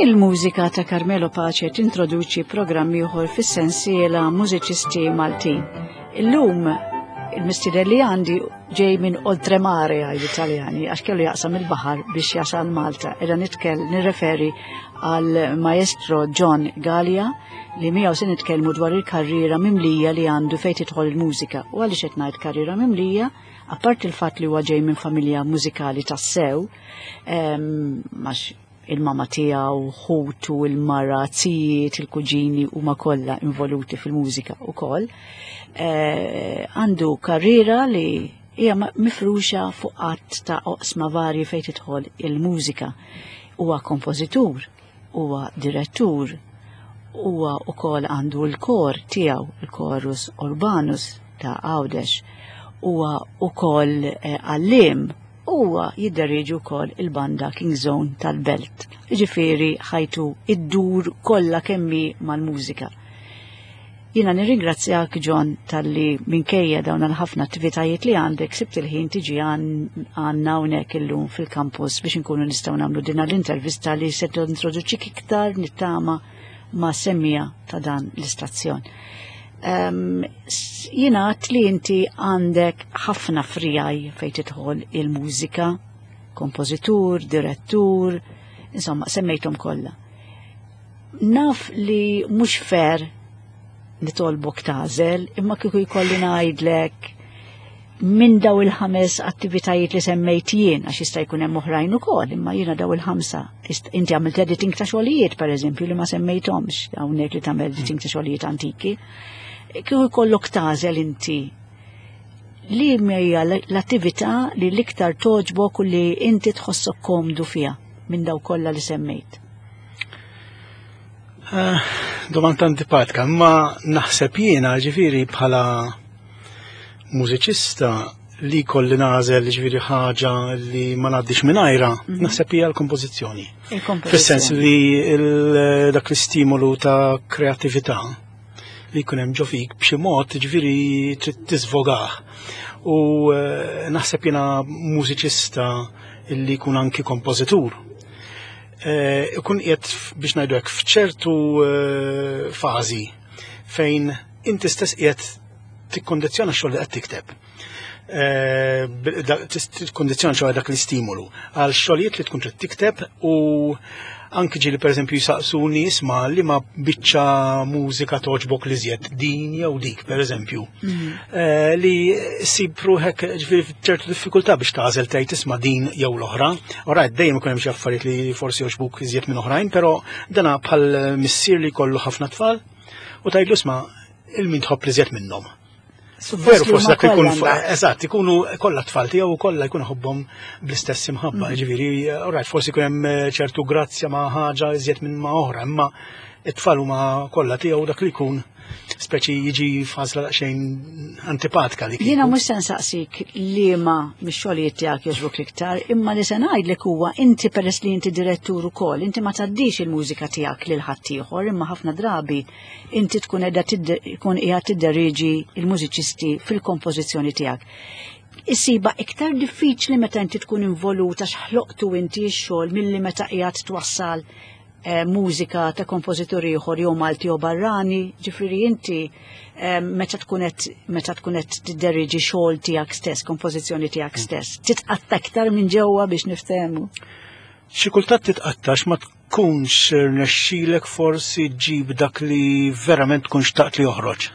Il-mużika ta' Carmelo Pace tintroduċi programm ieħor fis-sensiela Mużiċisti Maltin. Illum il-mistieden li għandi ġej minn oltremare għal Italjani għax kellu jaqsam il-baħar biex jasal Malta. Edha nitkel nirreferi għal maestro John Gallia li miegħu se nitkellmu dwar il-karriera mimlija li għandu fejn tidħol il-mużika. U għaliex qed ngħid karriera mimlija, apart il-fatt li huwa ġej minn familja mużikali tassew, għax il-mama tiegħu, ħutu, il-mara, zijiet, il-kuġini huma kollha involuti fil-mużika wkoll. Eh, għandu karriera li hija mifruxa fuq qatt ta' oqsma varji fejn tidħol il-mużika. Huwa kompożitur, huwa direttur, huwa wkoll għandu l-kor tiegħu, il-Chorus Urbanus ta' Għawdex, huwa wkoll eh, għalliem Huwa jidderieġi wkoll il-banda King Zone tal-Belt. Jiġifieri ħajtu iddur kollha kemm hi mal-mużika. Jiena nirringrazzjak John talli minkejja dawn il-ħafna attivitajiet li għandek sibt il-ħin tiġi għandna hawnhekk illum fil-campus biex inkunu nistgħu nagħmlu din l-intervista li se tintroduċik iktar nittama ma' semmija ta' dan l-istazzjon. Um, Jina li inti għandek ħafna frijaj fejn tidħol il-mużika, kompożitur, direttur, insomma, semmejthom kollha. Naf li mhux fair nitolbok tażel, imma kieku jkolli ngħidlek minn daw il-ħames attivitajiet li semmejt jien, għax jista' jkun hemm oħrajn ukoll, imma jiena daw il-ħamsa. Inti għamilt editing ta' xogħlijiet pereżempju li ma semmejthomx hawnhekk li tagħmel editing ta' xogħlijiet antiki. Kieku jkollok tagħżel inti li hija l-attività li l-iktar toġbok u li inti tħossok komdu fiha minn daw kollha li semmejt. Eh, domanda antipatika, ma naħseb jiena ġifieri bħala mużiċista li kolli nażel ġifieri ħaġa li ma ngħaddix mingħajra, mhm. naħseb hija l-kompożizzjoni. Fis-sens li dak l-istimolu ta' kreatività li jkun hemm ġo fik b'xi mod ġifieri trid tiżvogah. U eh, naħseb jiena mużiċista li jkun anki kompożitur. Eh, ikun qiegħed biex ngħidu hekk f'ċertu eh, fażi fejn inti stess qiegħed tikkondizzjona x-xogħol li qed tikteb. Eh, tikkondizzjona xogħol dak l-istimolu għal xogħlijiet li tkun trid tikteb u anki ġieli pereżempju jisaqsu nies ma li ma biċċa mużika toġbok li żjed din jew dik pereżempju. Mhm. Eh, li sib ruħek ġifieri ċertu diffikultà biex tagħżel tgħid isma' din jew l-oħra. Ora dejjem ikun hemm xi affarijiet li forsi jogħġbuk iżjed minn oħrajn, però dana bħal missier li jkollu ħafna tfal u tgħidlu isma' il-min tħobb li żjed minnhom. Veru forsi dak ikun eżatt, ikunu kollha tfal tiegħu u kollha jkun ħobbhom bl-istess imħabba, mm. ġifieri, alright, forsi jkun hemm eh, ċertu grazzja ma' ħaġa iżjed minn ma' oħra, imma it-tfal huma kollha tiegħu dak li jkun speċi jiġi f'għażla daqsxejn antipatika li. Jiena mhux se nsaqsik liema mix-xogħlijiet tiegħek jogħġbok l-iktar, imma li se ngħidlek huwa inti peress li inti direttur ukoll, inti ma tgħaddix il-mużika tiegħek lil ħaddieħor, imma ħafna drabi inti tkun qiegħda tkun qiegħed tidderieġi l-mużiċisti fil-kompożizzjoni tiegħek. Isiba iktar diffiċli meta inti tkun involut għax ħloqtu inti x-xogħol milli meta qiegħed twassal eh, mużika ta' kompożitur ieħor jew Malti jew barrani, ġifieri inti eh, meta tkun qed meta tkun qed tidderiġi xogħol tiegħek stess, kompożizzjoni tiegħek mm. stess, titqatta iktar minn ġewwa biex niftehmu. Xi kultant titqattax ma tkunx rnexxilek forsi ġġib dak li verament tkun xtaqt li joħroġ.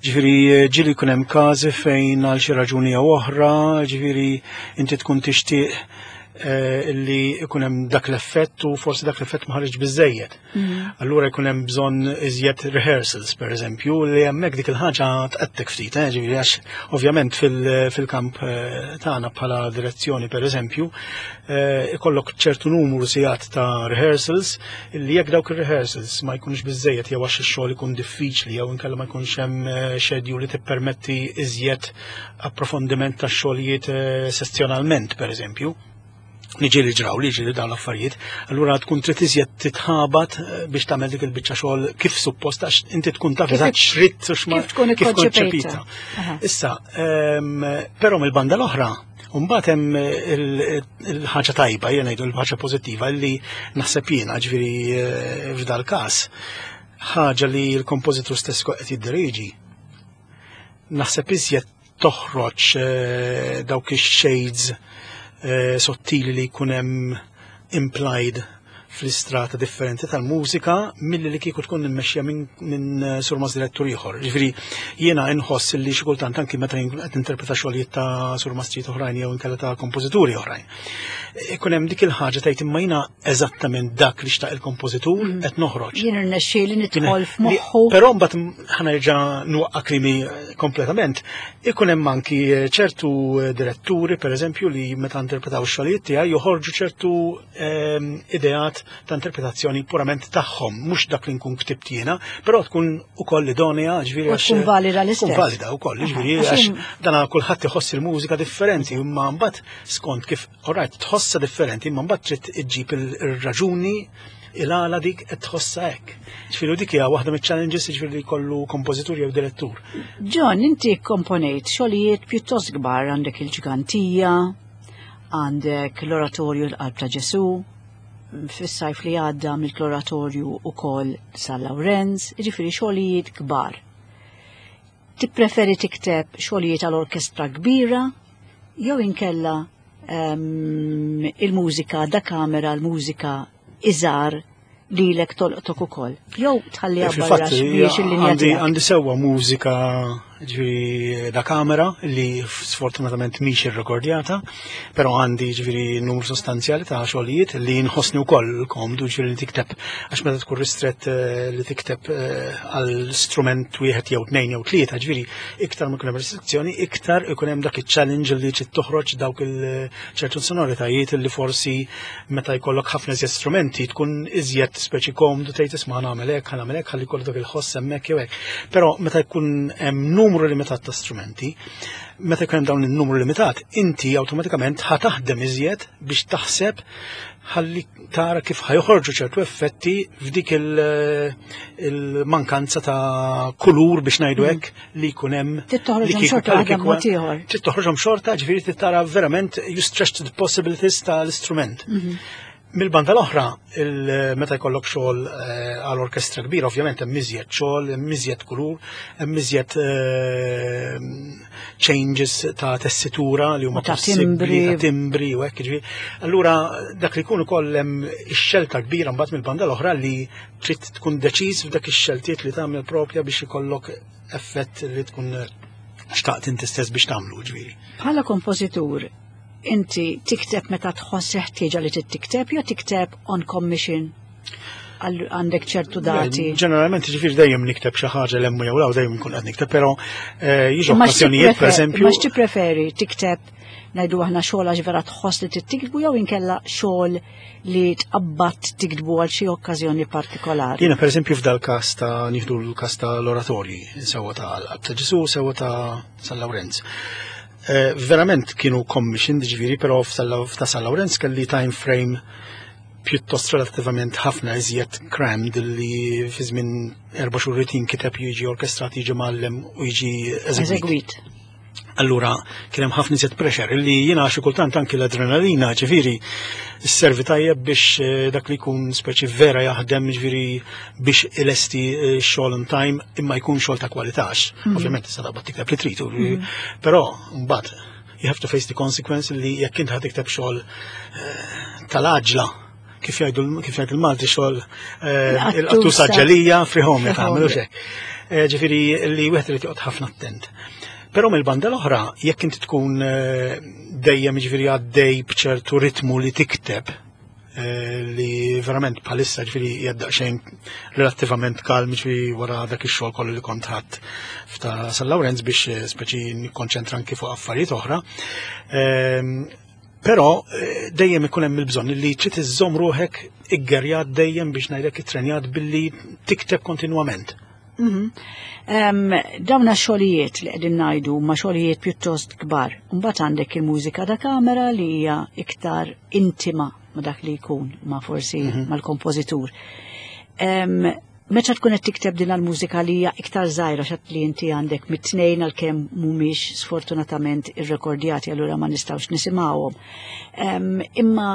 Ġifieri ġieli jkun hemm każi fejn għal xi raġuni jew oħra, ġifieri inti tkun tixtieq eh, li jkun hemm dak l-effett u forsi dak l-effett ma ħareġ biżejjed. Mm. Allura jkun hemm bżonn iżjed rehearsals, per eżempju, li hemmhekk dik il-ħaġa tqattek ftit, eh, ġifieri għax ovvjament fil-kamp eh, tagħna bħala direzzjoni, per eżempju, eh, ikollok ċertu numru sigħat ta' rehearsals li jekk dawk ir-rehearsals ma jkunx biżejjed jew għax ix-xogħol ikun diffiċli jew inkella ma jkunx hemm eh, schedule li tippermetti iżjed approfondiment ta' xogħlijiet eh, sessjonalment pereżempju. Niġi li ġraw li ġili dawn l-affarijiet, allura tkun trid iżjed titħabat biex tagħmel dik il-biċċa xogħol kif suppost għax inti tkun taf eżatt x'ridt u x'ma kif tkun ikkonċepita. Issa, ehm, però mill-banda l-oħra, Mbagħad hemm il-ħaġa tajba, jien ngħidu l-ħaġa pożittiva li naħseb jiena ġifieri f'dal każ ħaġa li l-kompożitur stess qed jiddirieġi. Naħseb iżjed toħroġ dawk ix-shades sottili li jkun hemm implied fl-istrata differenti tal-mużika milli li kieku tkun immexxija minn surmast direttur ieħor. Ġifieri jiena inħoss li xi kultant anki meta qed interpreta xogħlijiet ta' surmastrijiet oħrajn jew inkella ta' kompożituri oħrajn. Ikun hemm dik il-ħaġa tgħid imma jiena eżattament dak li xtaq il-kompożitur qed noħroġ. Jien irnexxieli nidħol f'moħħu. Però mbagħad ħanerġa' nwaqqa' klimi kompletament. Ikun hemm anki ċertu diretturi pereżempju li meta interpretaw ix-xogħlijiet tiegħi joħorġu ċertu ideat ta' interpretazzjoni purament tagħhom, mhux dak li nkun ktibt jiena, però tkun ukoll idonea, ġifieri għax tkun valida l-istess. Tkun valida wkoll, ġifieri għax dan kulħadd iħoss il-mużika differenti, imma mbagħad skont kif alright tħossha differenti, imma mbagħad trid iġġib ir-raġuni il-għala dik qed tħossha hekk. Ġifieri dik hija waħda miċ-challenges ġifieri li jkollu kompożitur jew direttur. John, inti komponejt xogħlijiet pjuttost kbar għandek il-ġgantija, għandek l-oratorju l-Qalb ta' Ġesu, fis-sajf li għadda mill-oratorju ukoll San Lawrenz, jiġifieri xogħlijiet kbar. Tippreferi tikteb xogħlijiet għal orkestra kbira jew inkella il-mużika da kamera, l-mużika iżgħar lilek tolqtok ukoll. Jew tħalliha barra x'mhijiex il-linja tiegħek. Għandi sewwa mużika ġifieri da kamera li sfortunatament mhix irrekordjata, però għandi ġifieri numru sostanzjali ta' xogħlijiet li nħossni wkoll komdu ġifieri li tikteb għax meta tkun ristrett li tikteb għal strument wieħed jew tnejn jew tlieta, ġifieri iktar ma jkun hemm restrizzjoni, iktar ikun hemm dak iċ-challenge li trid toħroġ dawk il-ċertu sonoritajiet li forsi meta jkollok ħafna iżjed strumenti tkun iżjed speċi komdu tgħid isma' nagħmel hekk, nagħmel hekk ħalli jkollok dak il-ħoss hemmhekk jew hekk. Però meta jkun hemm numru limitat ta' strumenti, meta jkun hemm dawn in-numru limitat, inti awtomatikament ħa taħdem iżjed biex taħseb ħalli tara kif ħajħorġu ċertu effetti f'dik il-mankanza ta' kulur biex ngħidu hekk li jkun hemm. Trid toħroġhom xorta waħda b'mod ieħor. Trid toħroġhom xorta, ġifieri trid tara verament you stretch the possibilities tal-istrument. Mil-banda l-oħra, meta jkollok xogħol għal orkestra kbira, ovvjament hemm iżjed xogħol, hemm iżjed kulur, hemm iżjed changes ta' tessitura li huma ta' timbri, ta' timbri u hekk ġifieri. Allura dak li jkun ukoll hemm ix-xelta kbira mbagħad mill-banda l-oħra li trid tkun deċiż f'dak ix-xeltiet li tagħmel propja biex ikollok effett li tkun xtaqt inti stess biex tagħmlu ġifieri. Bħala kompożitur, inti tikteb meta tħoss ħtieġa li tikteb jew tikteb on commission għandek ċertu dati? Ġeneralment ġifieri dejjem nikteb xi ħaġa l-emmu jew law dejjem nkun qed nikteb, però jiġu okkażjonijiet pereżempju. Ma x'tippreferi tikteb ngħidu aħna xogħol għax vera tħoss li tiktbu jew inkella xogħol li tqabbad tiktbu għal xi okkażjoni partikolari? Jiena pereżempju f'dal każ ta' nieħdu l-każ ta' l-oratorji, sewwa ta' ta' Ġesu, sewwa ta' San Lawrenz. Verament kienu commissioned ġifieri, però f'ta' San Lawrenz kelli time frame pjuttost relattivament ħafna iżjed crammed li fi żmien 4 xhur irid jinkiteb, jiġi orkestrat, jiġi mgħallem u jiġi eżegwit. Allura kien hemm ħafna iżjed pressure li jiena xi kultant anki l-adrenalina ġifieri sservi tajjeb biex dak li jkun speċi vera jaħdem ġifieri biex ilesti x-xogħol on time imma jkun xogħol ta' kwalità. Ovvjament tista' taqbad tikteb li trid, però mbagħad you have to face the consequence li jekk inti ħa tikteb xogħol tal-għaġla kif jgħidu kif jgħid il-Malti xogħol il-qattusa ġelija frihom jagħmlu xek. Ġifieri li wieħed irid joqgħod ħafna attent. Però mill-banda l-oħra, jekk inti tkun dejjem ġifieri għaddej b'ċertu ritmu li tikteb, li verament bħalissa ġifieri qiegħed daqsxejn relattivament kalm ġifieri wara dak ix-xogħol kollu li kont ħadd f'ta' San Lawrenz biex speċi nikkonċentra anki fuq affarijiet oħra. Però dejjem ikun hemm il-bżonn li trid iżżomm ruħek iggerjat dejjem biex ngħidlek ittrenjat billi tikteb kontinwament. Dawna xogħlijiet li qegħdin ngħidu huma xogħlijiet pjuttost kbar. Mbagħad għandek il-mużika da kamera li hija iktar intima ma' dak li jkun, ma' forsi mal-kompożitur. Meta tkun qed tikteb din l-mużika li hija iktar żgħira x'għedt li inti għandek mit-tnejn għalkemm mhumiex sfortunatament irrekordjati allura ma nistgħux nisimgħuhom. Imma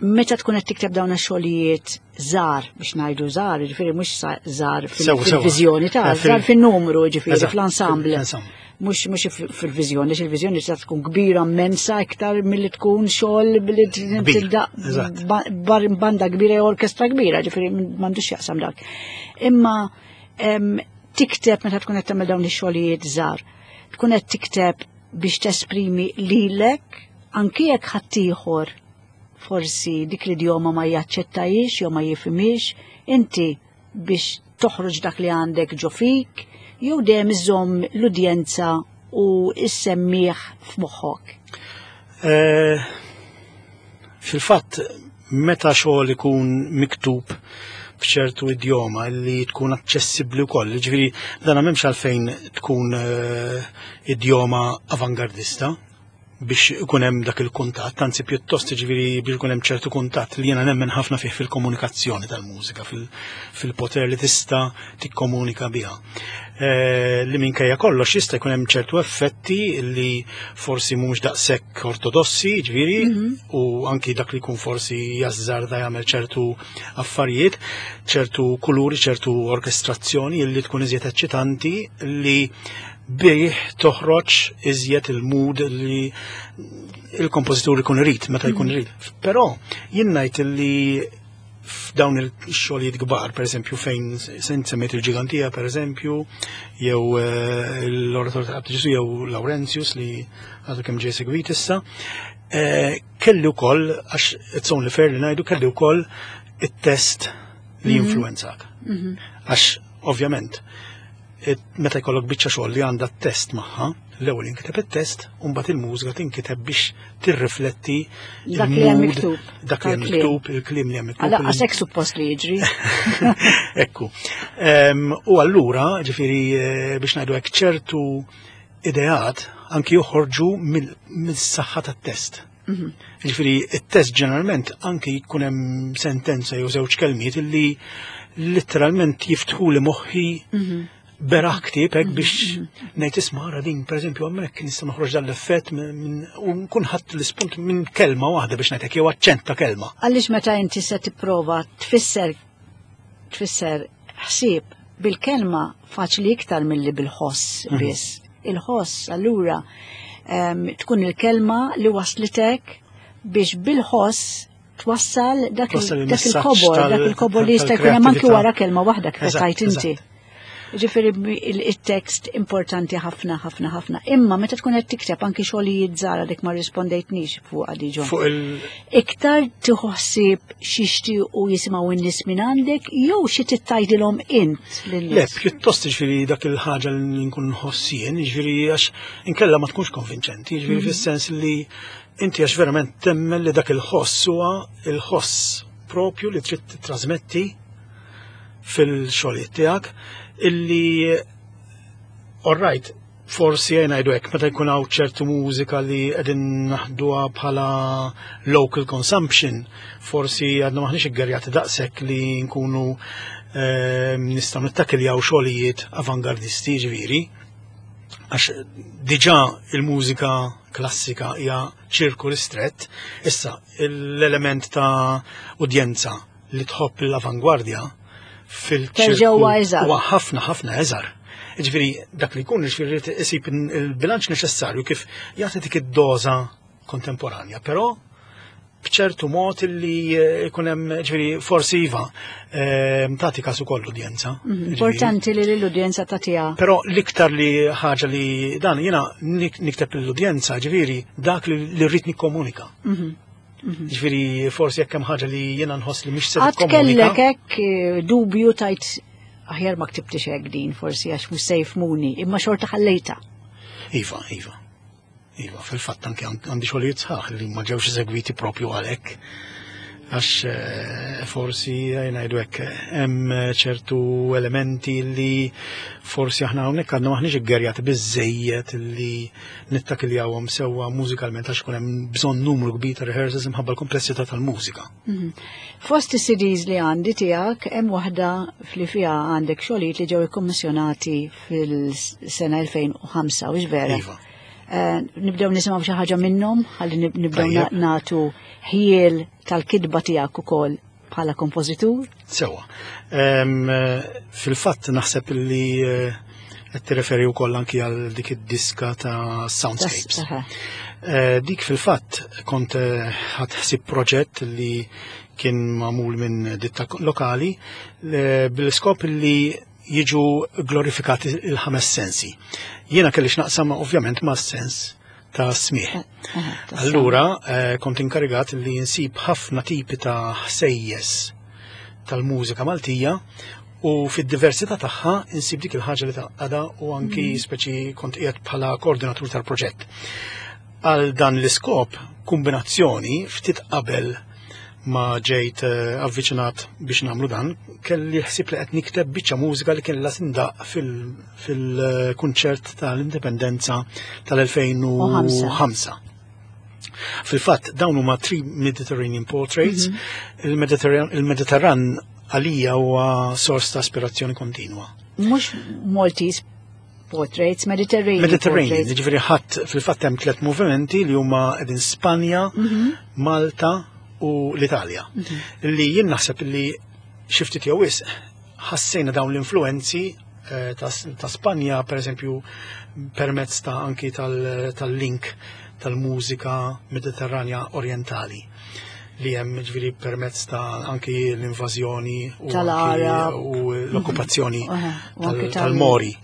meta tkun qed tikteb dawn ix-xogħlijiet żgħar biex ngħidu żgħar, jiġifieri mhux żgħar fil-viżjoni ta' eh, żgħar fin-numru, jiġifieri fl-ensemble. Mhux mhux fil-viżjoni, il-viżjoni tista' tkun kbira immensa iktar milli tkun xogħol billi tibda banda kbira jew orkestra kbira, ġifieri m'għandux jaqsam dak. Imma tikteb meta tkun qed tagħmel dawn ix-xogħlijiet żgħar, tkun qed tikteb biex tesprimi lilek anki jekk ħaddieħor forsi dik l-idjoma ma jaċċettajiex jew ma jifhimhiex, inti biex toħroġ dak li għandek ġo fik, jew dejjem iżomm l-udjenza u s-semmiegħ f'moħħok? Eh, fil-fatt, meta xogħol ikun miktub b'ċertu idjoma li tkun aċċessibbli wkoll, ġifieri dan m'hemmx għalfejn tkun eh, idjoma avangardista, biex ikun hemm dak il-kuntatt, anzi pjuttost jiġifieri biex ikun hemm ċertu kuntatt li jiena nemmen ħafna fih fil-komunikazzjoni tal-mużika, fil-poter li tista' tikkomunika biha. Eh, li minkejja kollox jista' jkun hemm ċertu effetti li forsi mhux daqshekk ortodossi, ġifieri, mhm. u anki dak li jkun forsi jażżarda jagħmel ċertu affarijiet, ċertu kuluri, ċertu orkestrazzjoni li tkun iżjed eċċitanti li bih toħroġ iżjed il-mood li il-kompożitur ikun irid meta jkun mm. irid. Però jien ngħid li f'dawn il-xogħlijiet kbar, per eżempju fejn semmejt il-Ġigantija, per eżempju, jew eh, l-Orator ta' Ġesu jew Laurentius li għadu kemm ġej segwit issa, eh, kelli wkoll għax it's only fair li ngħidu kelli wkoll it-test li mhm. jinfluwenzak. Mhm. Għax ovvjament meta jkollok biċċa xogħol li għandha test magħha, l-ewwel jinkiteb it-test u mbagħad il-mużika tinkiteb biex tirrifletti dak li hemm miktub. Dak li hemm miktub, il-kliem li hemm miktub. Għala hekk suppost li jiġri. Ekku. U allura, ġifieri eh, biex ngħidu hekk ċertu ideat anki joħorġu mill-saħħa tat-test. Mhm. Ġifieri it-test ġeneralment anki jkun hemm sentenza jew żewġ kelmiet illi letteralment jiftħu li moħħi mhm. beraħ ktieb hekk biex mhm. ngħid isma' ara din pereżempju hemmhekk nista' noħroġ dan l-effett u nkun ħadd l-ispunt minn kelma waħda biex ngħidlek jew aċċent ta' kelma. Għaliex meta inti se tipprova tfisser tfisser ħsieb bil-kelma faċli iktar milli bil-ħoss mhm. biss. Il-ħoss allura tkun il-kelma li waslitek biex bil-ħoss twassal dak il-kobor, dak il-kobor li jista' jkun hemm anki wara kelma waħda kif qed inti. Ġifieri il-tekst importanti ħafna ħafna ħafna. Imma meta tkun qed tikteb anki xogħlijiet żgħar dik ma rispondejtnix fuq għadi ġon. Fuq il Iktar tħossib x'jixtiequ jisimgħu n-nies minn għandek jew xi tittajdilhom int lin-nies? Le, pjuttost ġifieri dak il-ħaġa li nkun nħoss jien, ġifieri għax inkella ma tkunx konvinċenti, ġifieri mhm. fis-sens li inti għax verament temmen li dak il-ħoss huwa il-ħoss propju li trid titrasmetti fil-xogħlijiet tiegħek illi all right, forsi jgħin ngħidu hekk meta jkun hawn ċertu mużika li qegħdin naħduha bħala local consumption, forsi għadna maħniex iggerjati daqshekk li nkunu ehm, nistgħu nittakiljaw xogħlijiet avangardisti ġifieri. Għax diġà il-mużika klassika hija ċirku ristrett, issa l-element ta' udjenza li tħobb l-avangwardja fil-ċirku huwa ħafna ħafna eżar. Ġifieri dak li jkun ġifieri isib il-bilanċ neċessarju kif jagħti dik id-doża kontemporanja, però b'ċertu mod li eh, jkun hemm ġifieri forsi iva eh, tagħti każ ukoll l-udjenza. Mhm, importanti li l-udjenza tagħtiha. Però l-iktar li ħaġa li dan jiena nikteb l-udjenza ġifieri dak li rrid nikkomunika. Mhm. Mhm. Ġifieri forsi jekk hemm ħaġa li jiena nħoss li mhix se tikkomunika. Kellek hekk eh, dubju tajt aħjar ma ktibtix hekk din forsi għax mhux se jifmuni, imma xorta ħallejta. Iva, iva. Iva, fil-fatt anke għandi xogħlijiet sħaħ li ma ġewx eżegwiti propju għalhekk. Għax eh, forsi eh, ngħidu hekk hemm ċertu elementi li forsi aħna hawnhekk għadna maħniex iggerjati biżejjed li nittakiljawhom sewwa mużikalment għax ikun hemm bżonn numru kbir ta' rehearsals imħabba l-komplessità tal-mużika. Mhm. Fost is-CDs li għandi tiegħek hemm waħda li fiha għandek xogħlijiet li ġew ikkummissjonati fil-sena 2005, u vera? Iva. Eh, nibdew nisimgħu xi ħaġa minnhom ħalli nibdew nagħtu ħiel tal-kitba tiegħek ukoll bħala kompożitur. Sewa. Fil-fatt naħseb li eh, qed tirreferi wkoll anki għal dik id-diska ta' Soundscapes. Eh, dik fil-fatt kont ħadd ħsib proġett li kien magħmul minn ditta lokali bil-iskop li jiġu glorifikati il-ħames sensi. Jiena kelli x'naqsam ovvjament ma' sens ta' smieħ. Eh, eh, Allura eh, kont inkarigat li nsib ħafna tipi ta' ħsejjes tal-mużika Maltija u fid-diversità tagħha insib dik il-ħaġa li taqgħada u anki mm. speċi kont qiegħed bħala koordinatur tal-proġett. Għal dan l-iskop, kombinazzjoni ftit qabel ma ġejt eh, avviċinat biex nagħmlu dan, kelli ħsieb li qed nikteb biċċa mużika li kellha tindaq fil-kunċert tal-Indipendenza tal-2005. Fil-fatt, dawn huma three Mediterranean portraits. Mhm. Il-Mediterran għalija huwa sors ta' aspirazzjoni kontinwa. Mhux Maltese portraits, Mediterranean. Mediterranean, ġifieri ħadd fil-fatt hemm tliet movimenti li huma qegħdin Spanja, mhm. Malta u l-Italja. Mhm. Li jien naħseb li xi ftit jew wisq ħassejna dawn l-influenzi eh, ta' Spanja, per eżempju, permezz ta' anki tal-link tal-mużika Mediterranja Orientali li hemm ġifieri permezz ta' anki l-invażjoni u u l-okkupazzjoni tal-Mori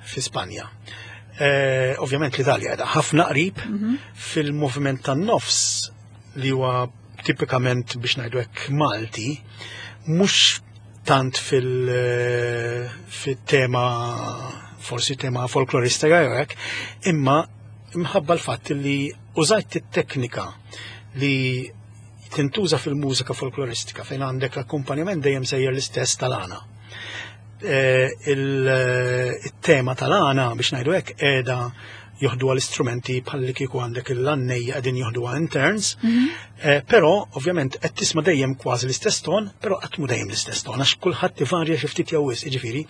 fi Spanja. Eh, ovvjament l-Italja qiegħda ħafna qrib mhm. fil-moviment tan-nofs li huwa tipikament biex ngħidu hekk Malti, mhux tant eh, fil-tema forsi tema folkloristika jew hekk, imma imħabba l-fatt li użajt it-teknika li tintuża fil-mużika folkloristika fejn għandek l-akkumpanjament dejjem sejjer l-istess tal-għana. Eh, il-tema tal-għana biex ngħidu hekk qiegħda joħduha l-istrumenti bħal li kieku għandek il-għannejja qegħdin joħduha in turns, mhm. eh, però ovvjament qed tisma' dejjem kważi l-istess ton, però qatt mhu dejjem l-istess ton għax kulħadd ivarja xi ftit jew wisq, jiġifieri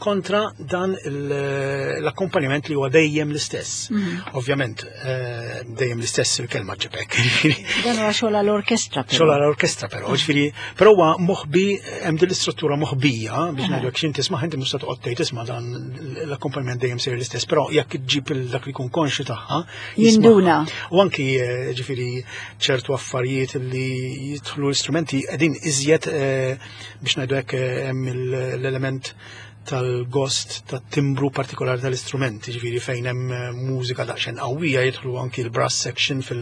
kontra dan l-akkompanjament li huwa dejjem l-istess. Mhm. Ovvjament eh, dejjem l-istess il-kelma ġibek. Dan huwa xogħol għall-orkestra. Xogħol għall-orkestra però, ġifieri, però huwa moħbi hemm din l-istruttura moħbija biex ngħidu jekk x'inti tisma' inti mhux se toqgħod tgħid isma' dan l-akkompanjament dejjem sejjer l-istess, però jekk iġġib dak li jkun konxju tagħha. Jinduna. U anki eh, ġifieri ċertu affarijiet li jidħlu l-istrumenti qegħdin iżjed eh, biex ngħidu hekk eh, hemm l-element tal-gost tat-timbru partikolari tal-istrument, ġifieri fejn hemm eh, mużika daqsxejn qawwija jidħlu anki l-brass section fil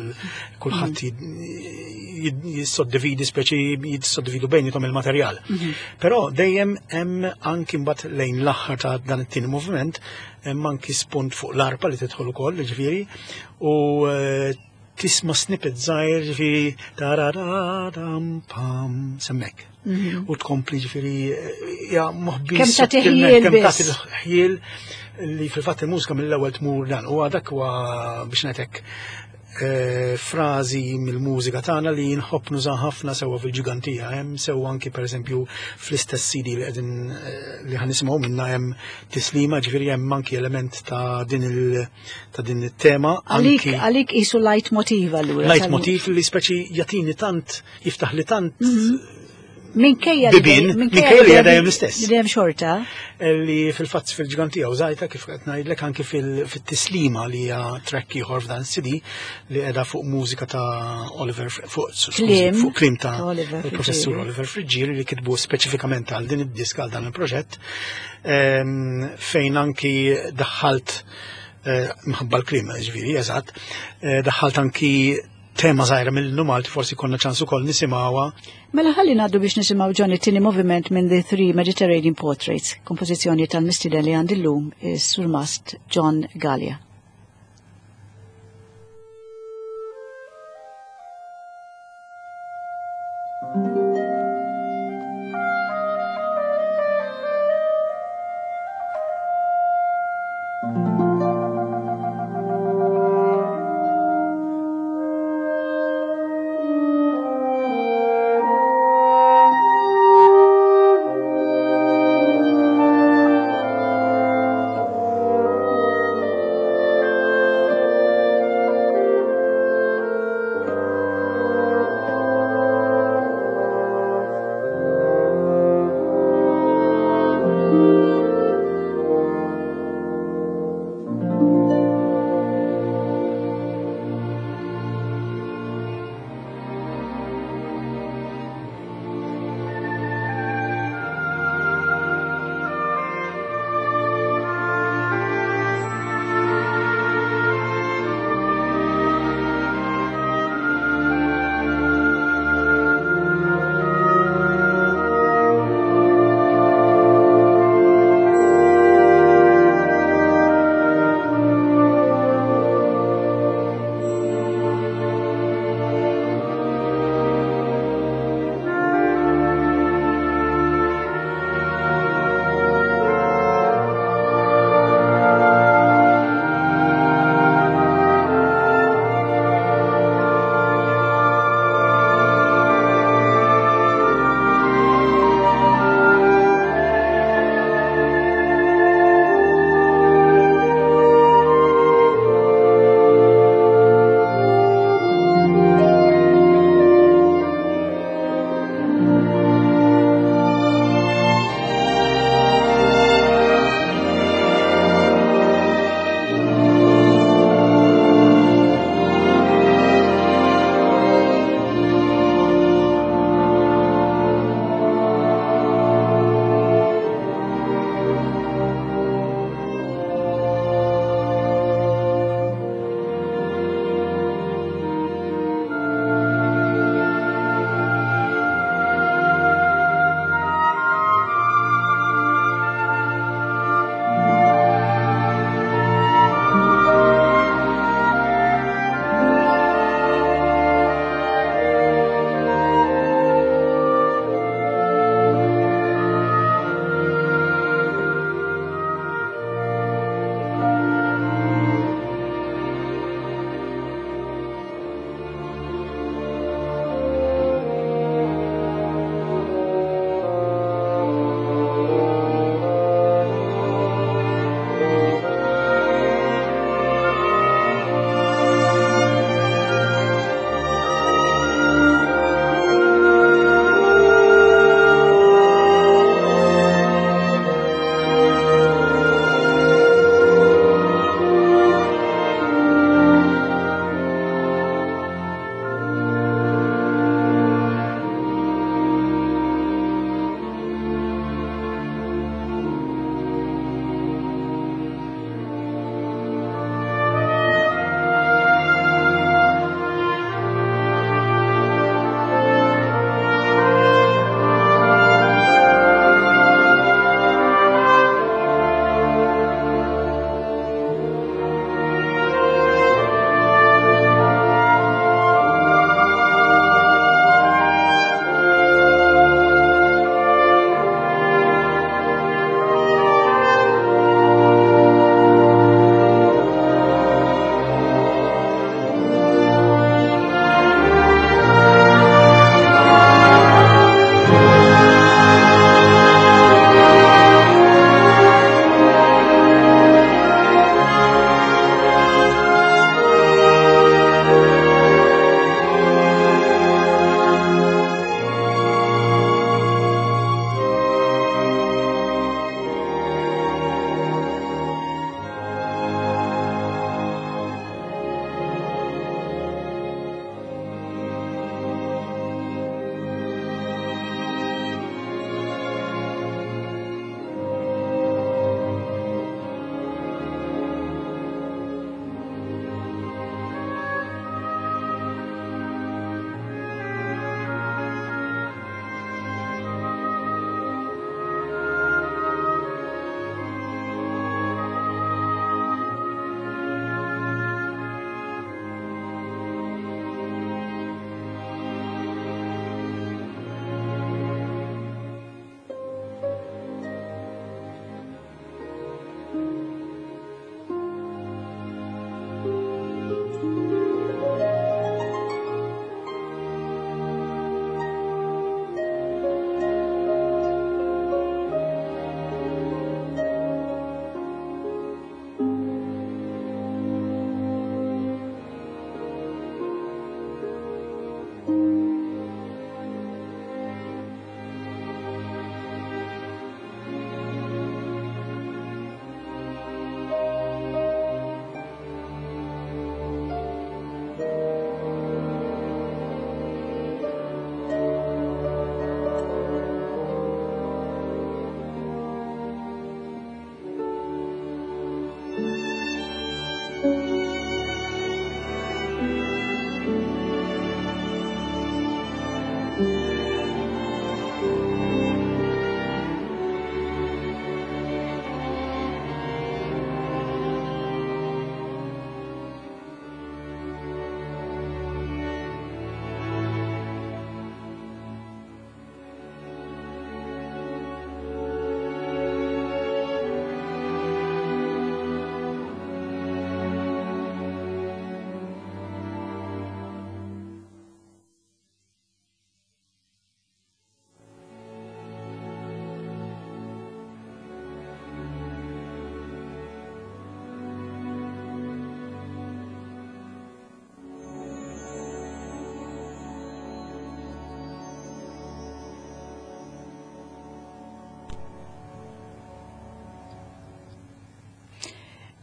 kulħadd mhm. jissoddividi speċi jissoddividu bejnietom il-materjal. Mhm. Però dejjem hemm anki mbagħad lejn l-aħħar ta' dan it-tieni moviment hemm anki spunt fuq l-arpa li tidħol ukoll, ġifieri, u eh, tisma' snippet żgħir ġifieri tarararam pam semmek. Mhm. U tkompli ġifieri ja moħbi. Kemm ta' ħjiel kemm ta' ħjiel li fil-fatt il-mużika mill-ewwel tmur dan u dak huwa biex ngħidlek eh, frażi mill-mużika tagħna li nħobb nuża ħafna sewwa fil-ġigantija hemm sewwa anki pereżempju fl-istess CD li qegħdin eh, li ħanisimgħu minnha hemm tislima ġifieri hemm anki element ta' din il- ta' din it-tema. Għalik għalik isu light motiv allura. Light motiv li speċi jatini tant, jiftaħ li tant mhm. Minkejja li minkejja li dejjem l-istess. Dejjem xorta. Eh, li fil-fatt fil-ġgantija użajta kif qed ngħidlek anki fil-tislima li hija track ieħor f'dan CD li qiegħda fuq mużika ta' Oliver fuq fuq klim ta' il-professur Oliver Friggieri li kitbu speċifikament għal din id-diska għal dan il-proġett ehm, fejn anki daħħalt eh, mħabba l-klima, ġviri, eżatt, eh, daħħalt anki tema zaħira mill-innu Malti forsi konna ċans ukoll nisimgħuha. Mela ħalli ngħaddu biex nisimgħu Johnny tieni moviment minn The Three Mediterranean Portraits, kompożizzjoni tal-mistieden li għandi llum is-Surmast John Gallia.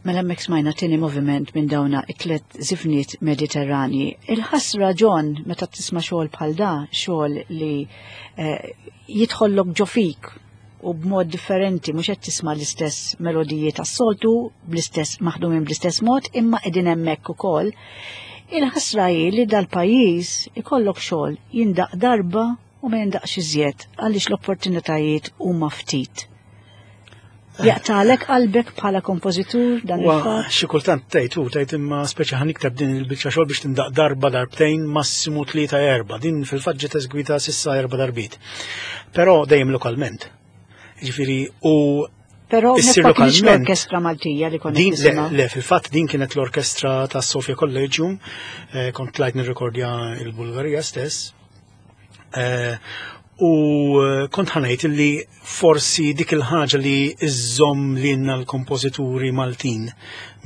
Mela hemmhekk smajna tieni moviment minn dawna it-tlet żifniet Mediterranji. Il-ħasra John meta tisma' xogħol bħal da, xogħol li eh, jidħollok ġo fik u b'mod differenti mhux qed tisma' l-istess melodiji tas-soltu bl-istess maħdumin bl-istess mod imma qegħdin hemmhekk ukoll. Il-ħasra hi li dal-pajjiż ikollok xogħol jindaq darba u ma jindaqx iżjed għaliex l-opportunitajiet huma ftit. Jaqtalek qalbek bħala kompożitur dan il-fatt? Xi kultant tgħid u tgħid imma speċi ħa nikteb din il-biċċa xogħol biex tindaq darba darbtejn massimu tlieta erba'. Din fil-fatt ġiet eżgwita sissa erba' darbiet. Però dejjem lokalment. Ġifieri u Però issir lokalment. L-orkestra Maltija li konna din, le, le, fil-fatt din kienet l-orkestra ta' Sofia Collegium, eh, kont tlajt nirrekordja il-Bulgarija stess. Eh, u eh, kont ħanajt li forsi dik il-ħaġa li iżżomm lilna l-kompożituri Maltin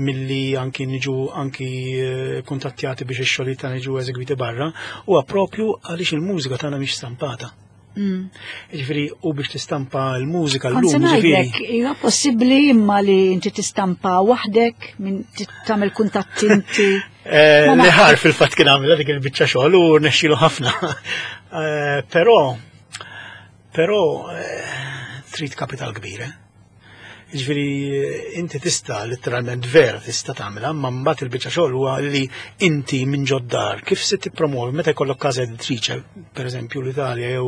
milli anki niġu anki eh, kuntattjati biex ix-xogħlijiet tagħna jiġu eżegwiti barra huwa propju għaliex il-mużika tagħna mhix stampata. Ġifieri u biex tistampa l-mużika l-lum. Ġifieri. Hija possibbli imma li inti tistampa waħdek minn tagħmel kuntatt inti. Eh, Liħar fil-fatt kien għamilha dik il-biċċa xogħol u nexxilu ħafna. Eh, però però eh, trid kapital kbir, eh? Ġifieri inti tista' letteralment vera tista' tagħmilha, ma mbagħad il-biċċa xogħol huwa li inti minn ġoddar kif se tippromovi meta jkollok każa editriċe, pereżempju l-Italja jew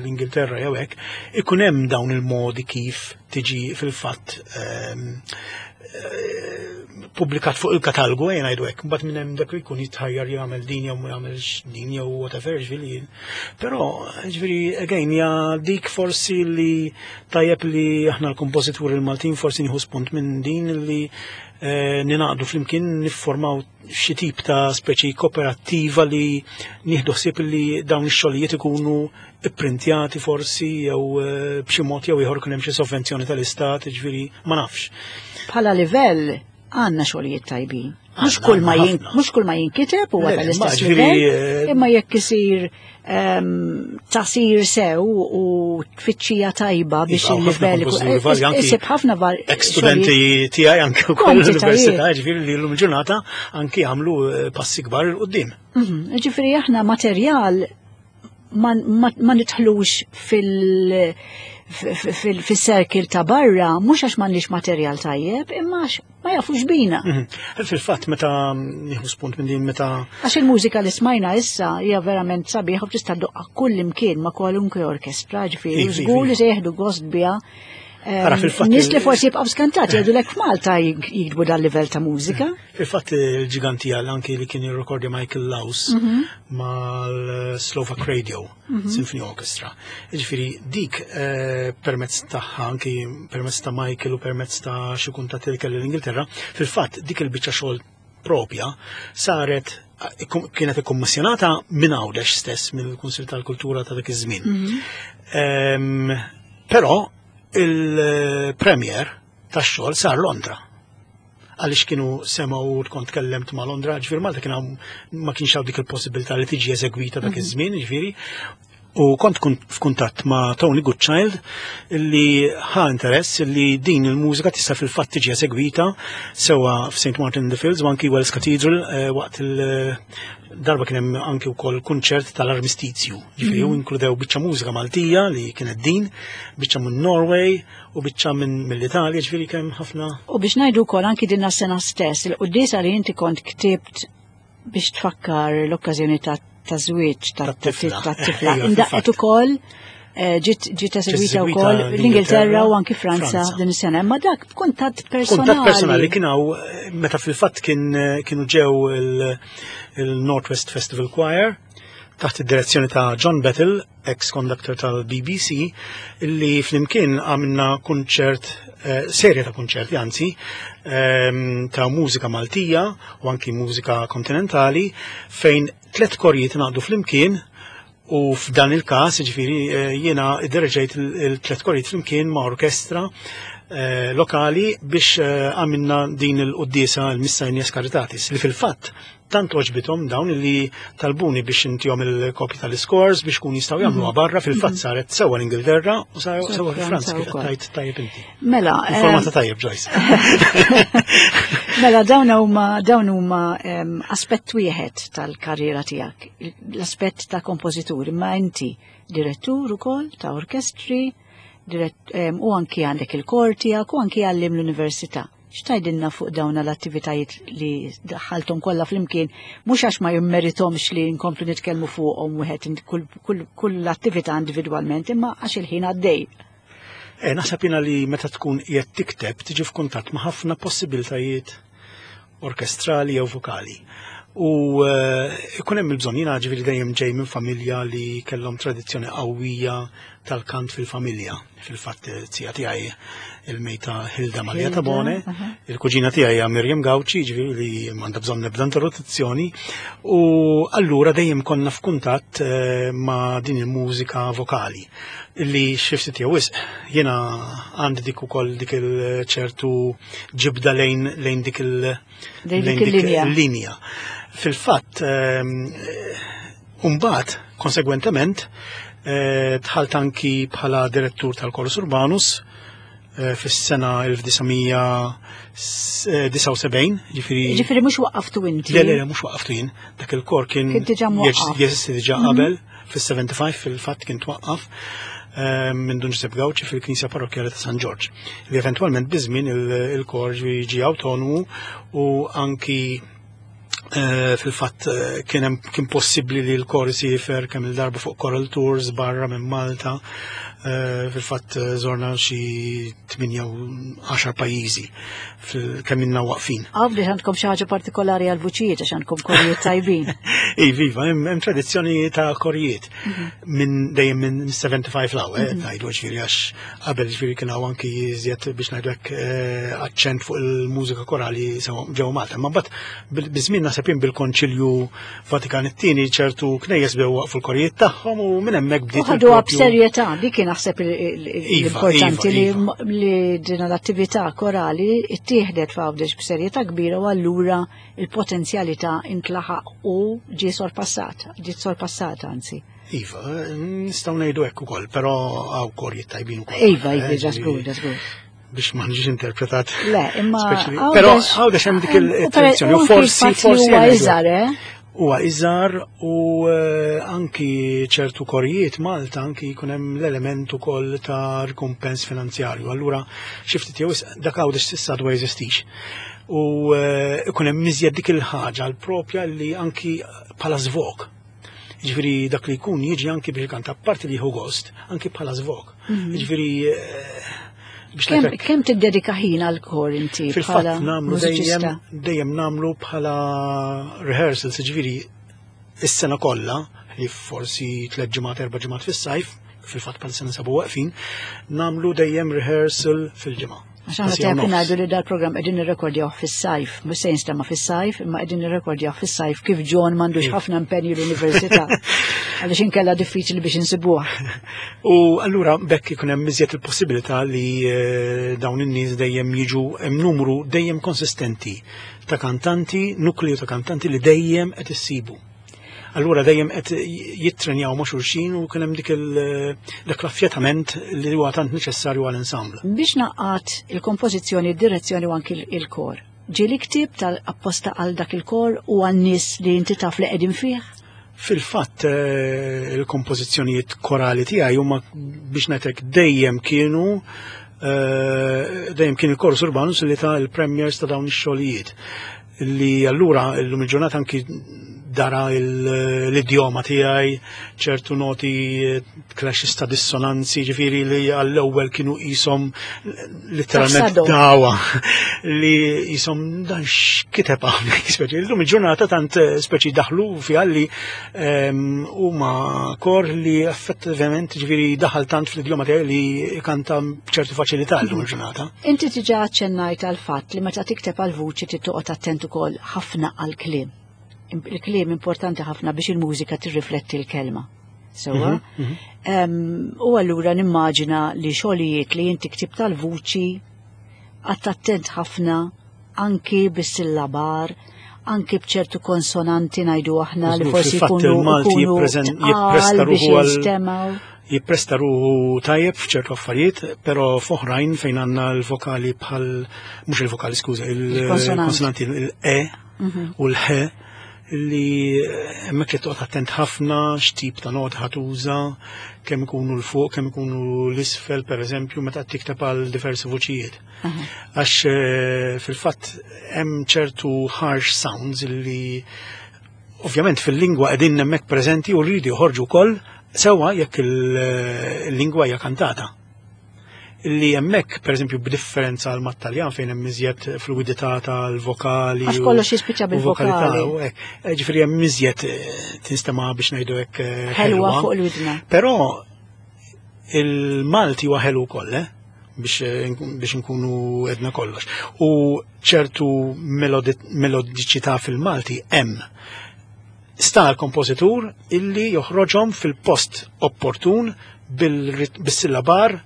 l-Ingilterra jew hekk, ikun hemm dawn il-modi kif tiġi fil-fatt ehm, pubblikat fuq il-katalgu ejja ngħidu hekk, mbagħad minn hemm dak li jkun jitħajjar jagħmel din jew ma jagħmelx din jew whatever ġifieri. Però ġifieri again ja dik forsi li tajjeb li aħna l-kompożituri l-Maltin forsi nieħu spunt minn din li eh, ninaqdu flimkien niffurmaw xi tip ta' speċi kooperattiva li nieħdu ħsieb li dawn ix-xogħlijiet ikunu ipprintjati forsi jew eh, b'xi mod jew ieħor kien hemm xi sovvenzjoni tal-istat, ġifieri ma nafx. Bħala livell għandna xogħlijiet tajbin. Mhux kull ma mhux kull ma jinkiteb huwa tal-istess livell, eh, imma jekk isir ehm, tasir sew u tfittxija tajba biex iva, il-livell isib ħafna var. Ex-studenti tiegħi anke wkoll l-università, ġifieri li llum il-ġurnata anki għamlu eh, passi kbar il qudiem Mhm, ġifieri aħna materjal ma, ma, ma nidħlux fil- fil-circle ta' barra, mhux għax m'għandniex materjal tajjeb, imma għax ma jafux bina. Mhm. Fil-fatt, meta nieħu spunt minn din meta. Għax il-mużika li smajna issa hija verament sabiħ u tista' doqqa kull imkien ma' kwalunkwe orkestra, ġifieri, żgur li se jieħdu gost biha Ara fil-fatt. Nis li forsi jibqgħu skantati jgħidu lek f'Malta jiktbu dal livell ta' mużika. Fil-fatt il-ġiganti għal anki li kien jirrekordja Michael Laus mhm. mal-Slovak Radio mhm. Symphony Orchestra. Ġifieri dik eh, permezz tagħha anki permezz ta' Michael u permezz ta' xi kuntatti li kelli l-Ingilterra, fil-fatt dik il-biċċa xogħol propja saret kienet ikkommissjonata minn Għawdex stess mill-Kunsil tal-Kultura ta' dak iż-żmien. Mhm. Però il-premier tax-xogħol sar Londra għaliex kienu semgħu kont tkellemt ma' Londra, ġifieri Malta kien ma kienx hawn dik il-possibilità li tiġi eżegwita dak mhm. iż-żmien, ġifieri, U kont f'kuntatt ma' Tony Goodchild li ħa interess li din il-mużika tista' fil-fatt tiġi esegwita sewa f'St. Martin in the Fields u anki Wells Cathedral eh, waqt il-darba kien hemm anki wkoll kunċert tal-armistizju. Ġifieri mm. inkludew biċċa mużika Maltija li kienet din, biċċa minn Norway u biċċa minn mill-Italja, ġifieri kemm ħafna. U biex ngħidu wkoll anki din sena stess, il-quddiesa li inti kont ktibt biex tfakkar l-okkażjoni ta' żwieġ ta' tifla. Indaqqet ukoll eh, ġiet ġiet esegwita wkoll l-Ingilterra u anki Franza din is-sena. Imma dak b'kuntatt personali. Kuntatt personali kien hawn eh, meta fil-fatt kien eh, kienu ġew il-Northwest Festival Choir taħt id-direzzjoni ta' John Battle, ex-conductor tal-BBC, li flimkien għamilna kunċert, eh, serje ta' kunċerti anzi, ehm, ta' mużika Maltija u anki mużika kontinentali, fejn tlet korijiet naqdu flimkien u f'dan il-każ, ġifieri eh, jiena iddereġejt il-tlet korijiet flimkien ma' orkestra lokali biex għamilna din il-quddiesa l-Missa in Caritatis li fil-fatt tant għoġbithom dawn li talbuni biex intihom il-kopji tal-iskors biex kun jistgħu jagħmluha barra. Fil-fatt saret sewwa l-Ingilterra u sewwa fi Franza, kif tajt tajjeb inti. Mela, Informata tajjeb, Joyce. Mela, dawn huma aspett wieħed tal-karriera tiegħek, l-aspett ta' kompożitur, imma inti direttur ukoll ta' orkestri, u anki għandek il-kor tiegħek u anki għallim l-università. X'tgħidilna fuq dawn l-attivitajiet li daħħalthom kollha flimkien, mhux għax ma jimmeritomx li nkomplu nitkellmu fuqhom wieħed kull attività individwalment, imma għax il-ħin għaddej. Naħseb jiena li meta tkun qiegħed tikteb tiġi f'kuntatt ma' ħafna possibiltajiet orkestrali jew vokali. U ikun hemm il-bżonn. Jiena ġifieri dejjem ġej minn familja li kellhom tradizzjoni qawwija tal-kant fil-familja. Fil-fatt zija tiegħi il-mejta Hilda Maria Tabone, il-kuġina tiegħi hija Miriam Gauci, ġifieri li m'għandha bżonn nebda introduzzjoni, u allura dejjem konna f'kuntatt ma' din il-mużika vokali li xi ftit jew wisq jiena għandi dik ukoll dik il-ċertu ġibda lejn dik il- Lejn dik il-linja. Il-linja. Fil-fatt, imbagħad, konsegwentement, dħalt anki bħala direttur tal-Chorus Urbanus fis-sena 1979, ġifieri. Ġifieri mhux waqqaftu inti. Le, mhux waqqaftu jien. Dak il-kor kien Kien diġà mwaqqaf. Jeżisti diġà qabel, fis-75 fil-fatt kien twaqqaf minn Dun Giuseppe Gauci fil-Knisja Parrokkjali ta' San Ġorġ. Li eventwalment biż-żmien il-kor ġi autonomu u anki fil-fatt kien possibbli li l-kor isiefer kemm il-darba fuq choral tours barra minn Malta. Fil-fatt żorna xi 8 u 10 pajjiżi kemm ilna waqfin. Għawdex għandkom xi ħaġa partikolari għal-vuċijiet għax għandkom korijiet tajbin. Iva, hemm tradizzjoni ta' korijiet minn dejjem minn 75 'l hawn, ngħidu ġifieri għax qabel ġifieri kien hawn anki iżjed biex ngħidu hekk aċċent fuq il-mużika korali sewa ġewwa Malta. Ma mbagħad biż-żmien naħseb jien bil-Konċilju Vatikan it-tieni ċertu knejjes bdew waqfu l-korijiet tagħhom u minn hemmhekk bdiet U ħaduha il-propju b'serjetà, li kien naħseb l-importanti li din l-attività korali ittieħdet f'Għawdex b'serjetà kbira u allura il-potenzjalità intlaħaq u ġie sorpassat, ġiet sorpassata anzi. Iva, nistgħu ngħidu hekk ukoll, però hawn korijiet tajbin ukoll. Iva, ġasgur, ġasgur. Biex ma nġiex interpretat. Le, imma Però Għawdex hemm dik il-tradizzjoni u u anki forsi il-fatt li forsi huwa ngħidu iżgħar, eh? Huwa iżgħar u anki ċertu korijiet Malta anki jkun hemm l-element ukoll ta' rikumpens finanzjarju. Allura xi ftit jew wisq dak Għawdex s'issa għadu ma jeżistix. U ikun hemm iżjed dik il-ħaġa l-propja li anki bħala żvog. Ġifieri dak li jkun jiġi anki biex ikanta, apparti li jieħu gost, anki bħala żvog. Ġifieri biex ngħidlek Kemm tiddedika ħin għal kor inti Fil-fatt bħala nagħmlu mużiċista? dejjem nagħmlu bħala rehearsals, ġifieri is-sena kollha, li forsi 3 ġimgħat, 4 ġimgħat fis-sajf, fil-fatt bħal sena sabu waqfin, nagħmlu dejjem rehearsal fil-ġimgħa. Għax aħna Siegħa tajjeb nofs. ngħidu li dal-programm qegħdin nirrekordjaw fis-sajf, mhux se jinstema' fis-sajf, imma qegħdin nirrekordjaw fis-sajf kif John m'għandux ħafna impenji l-università. Għaliex inkella diffiċli biex insibuh. U allura bekk ikun hemm iżjed il-possibilità li dawn in-nies dejjem jiġu, hemm numru dejjem konsistenti ta' kantanti, nukleu ta' kantanti li dejjem qed issibu. Allura dejjem qed jittrenjaw ma' xulxin u kien hemm dak l-affjetament li huwa tant neċessarju għall-ensemble. Biex naqgħad il-kompożizzjoni, id-direzzjoni u anki il-kor. Ġieli ktibt tal-apposta għal dak il-kor u għan-nies li inti taf li qegħdin fih? Fil-fatt il-kompożizzjonijiet korali tiegħi huma biex ngħidlek dejjem kienu dejjem kien il-Chorus Urbanus li ta l-premiers ta' dawn ix-xogħlijiet. Li allura illum il-ġurnata anki dara l-idjoma tiegħi, ċertu noti, clashes ta' dissonanzi, ġifieri li għall-ewwel kienu qishom letteralment Tafsadhom. dawa li qishom dan x'kiteb hawnhekk, speċi illum il-ġurnata tant speċi daħlu fiha li huma kor li effettivament ġifieri daħal tant fl-idjoma tiegħi li kanta b'ċertu faċilità llum il-ġurnata. Inti diġà aċċennajt għal fatt li meta tikteb għal vuċi trid toqgħod attent ukoll ħafna għal kliem. Il-kliem importanti ħafna biex il-mużika tirrifletti l-kelma. Sewwa? U allura nimmaġina li xogħlijiet li inti ktibt tal-vuċi Qgħadt attent ħafna anki bis-sillabar, anki b'ċertu konsonanti ngħidu aħna li forsi jkunu il-Malti jippresta ruħu għal jippresta ruħu tajjeb f'ċertu affarijiet, però f'oħrajn fejn għandna l-vokali bħal mhux il-vokali skuża, il-konsonanti il-e mhm. u l-ħ li hemmhekk li toqgħod attent ħafna x'tip ta' nota ħatuża, kemm ikunu l fuq, kemm ikunu l-isfel, pereżempju, meta tikteb għal diversi vuċijiet. Għax eh, fil-fatt hemm ċertu harsh sounds li ovvjament fil-lingwa qegħdin hemmhekk preżenti u rridu joħorġu wkoll sewwa jekk il-lingwa hija kantata li hemmhekk pereżempju b'differenza għal mat-Taljan fejn hemm iżjed fluidità tal-vokali. Għax kollox jispiċċa bil-vokali. Eh, ġifieri hemm iżjed eh, tinstema' biex ngħidu hekk eh, ħelwa fuq il-widna. Però il-Malti huwa ħelu wkoll, eh? biex nkunu edna kollox. U ċertu melodiċità fil-Malti hemm. Sta l-kompożitur illi joħroġhom fil-post opportun bil-sillabar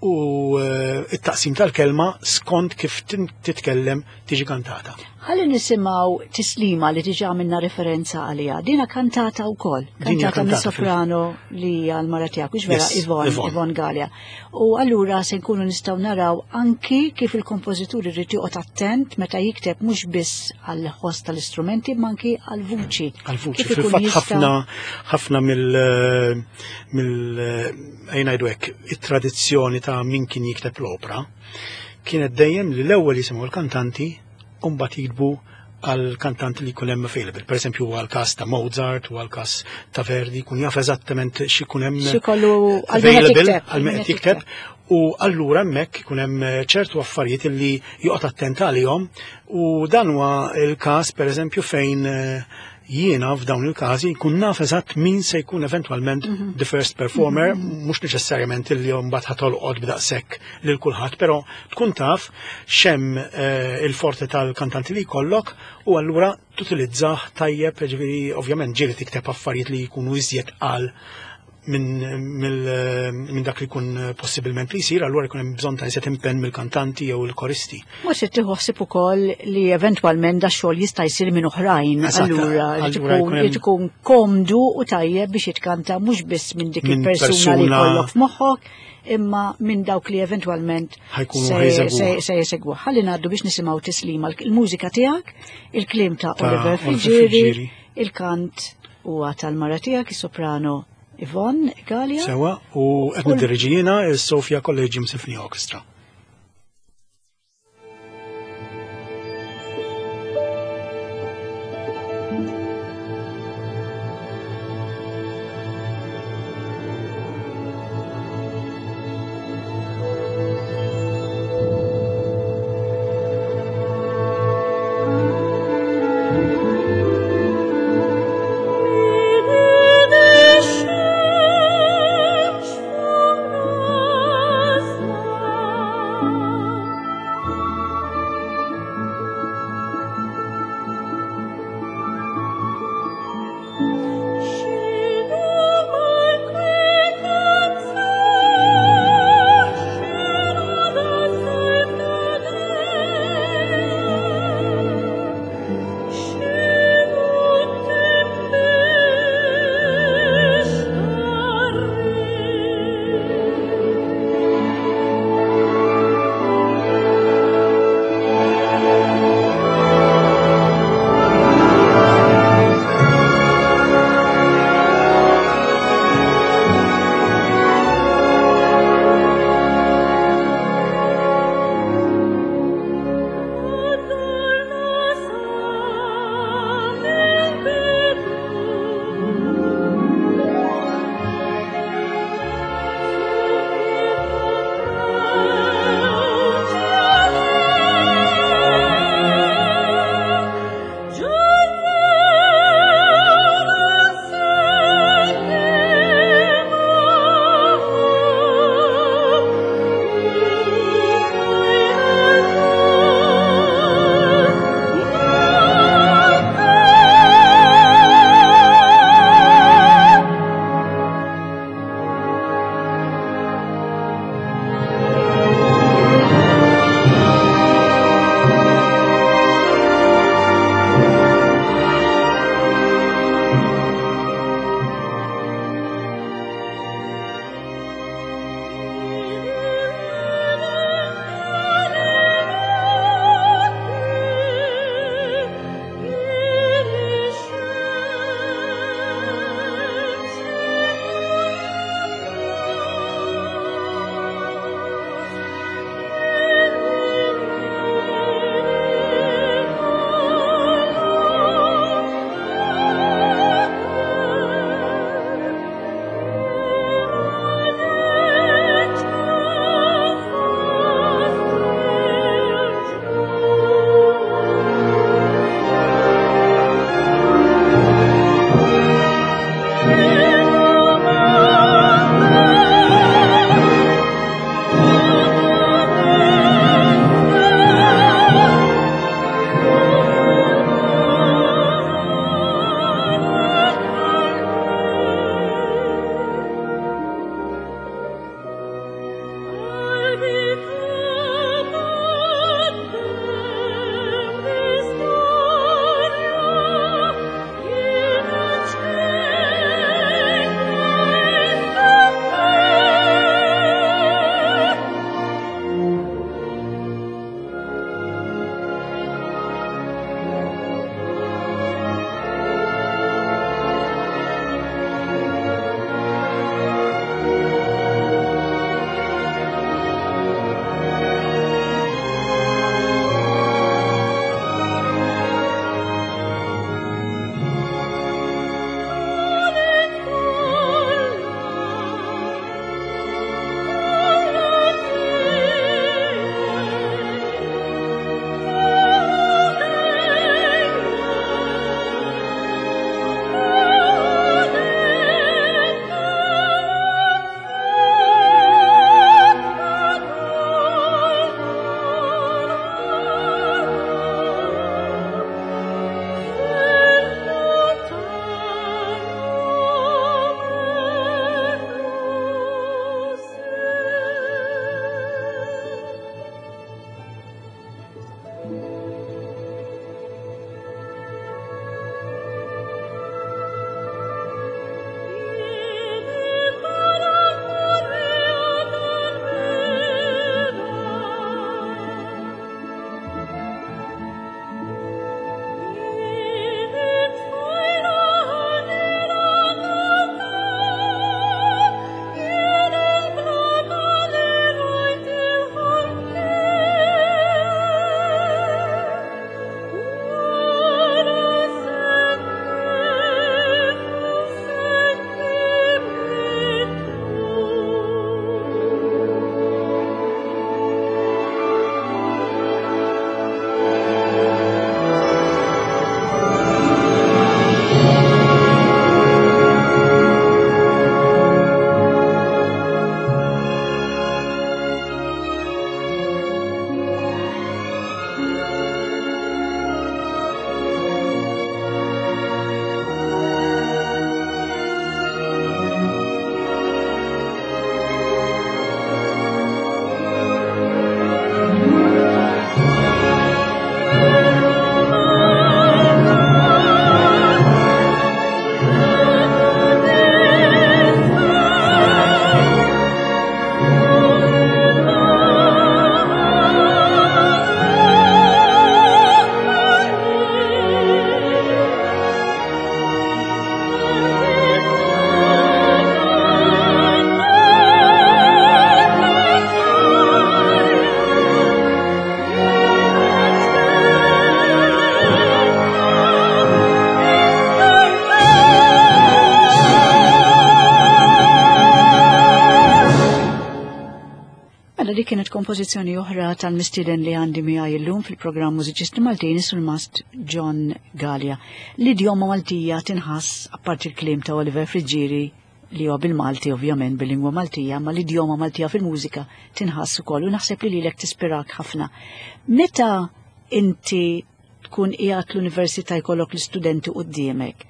u eh, it-taqsim tal-kelma skont kif titkellem tiġi kantata. Ħalli nisimgħu tislima li diġà għamilna referenza għaliha. Dina kantata wkoll, kantata minn soprano li hija l-mara tiegħek, hux vera Ivon, Ivon Galea. U allura se nkunu nistgħu naraw anki kif il-kompożitur irid joqgħod attent meta jikteb mhux biss għall-ħoss tal-istrumenti imma anki għall-vuċi. Għall-vuċi, fil-fatt ħafna ħafna mill mill ngħidu hekk, it-tradizzjoni ta' min kien jikteb l-opra kienet dejjem li l-ewwel jisimgħu l-kantanti u mbagħad jiktbu għal kantanti li jkun hemm available. Per eżempju għal każ ta' Mozart u għal każ ta' Verdi jkun jaf eżattament x'ikun hemm available għal min qed jikteb u allura hemmhekk ikun hemm ċertu affarijiet li joqgħod attent għalihom u dan huwa l-każ pereżempju fejn eh, jiena f'dawn il-każi nkun naf eżatt min se jkun eventwalment mm -hmm. the first performer, mm -hmm. mhux neċessarjament li mbagħad ħatolqod b'daqshekk lil kulħadd, però tkun taf xemm eh, il-forti tal-kantanti li jkollok u allura tutilizzah tajjeb, ġifieri ovvjament ġieli tikteb affarijiet li jkunu iżjed qal minn dak li jkun possibilment li jsir, allura jkun hemm bżonn ta' iżjed impenn mill-kantanti jew il-koristi. Mhux se tieħu ħsieb ukoll li eventwalment da xogħol jista' jsir minn oħrajn, allura li tkun komdu u tajjeb biex jitkanta mhux biss minn dik il-persuna li jkollok f'moħħok, imma minn dawk li eventwalment se jesegwu. Ħalli ngħaddu biex nisimgħu tislima il-mużika tiegħek, il-kliem ta' Oliver Friggieri, il-kant huwa tal-mara tiegħek, is-soprano Yvonne Galea. Sewa, u qed niddirġi jiena is-Sofia Collegium Symphony Orchestra. kienet kompożizzjoni oħra tal-mistieden li għandi miegħi llum fil-programm Mużiċisti Maltin is-Surmast John Galea. L-idjoma Maltija tinħass apparti l-kliem ta' Oliver Friggieri li huwa bil-Malti ovvjament bil-lingwa Maltija, ma l-idjoma Maltija fil-mużika tinħass ukoll u naħseb li lilek tispirak ħafna. Meta inti tkun qiegħed l-università jkollok l-istudenti quddiemek,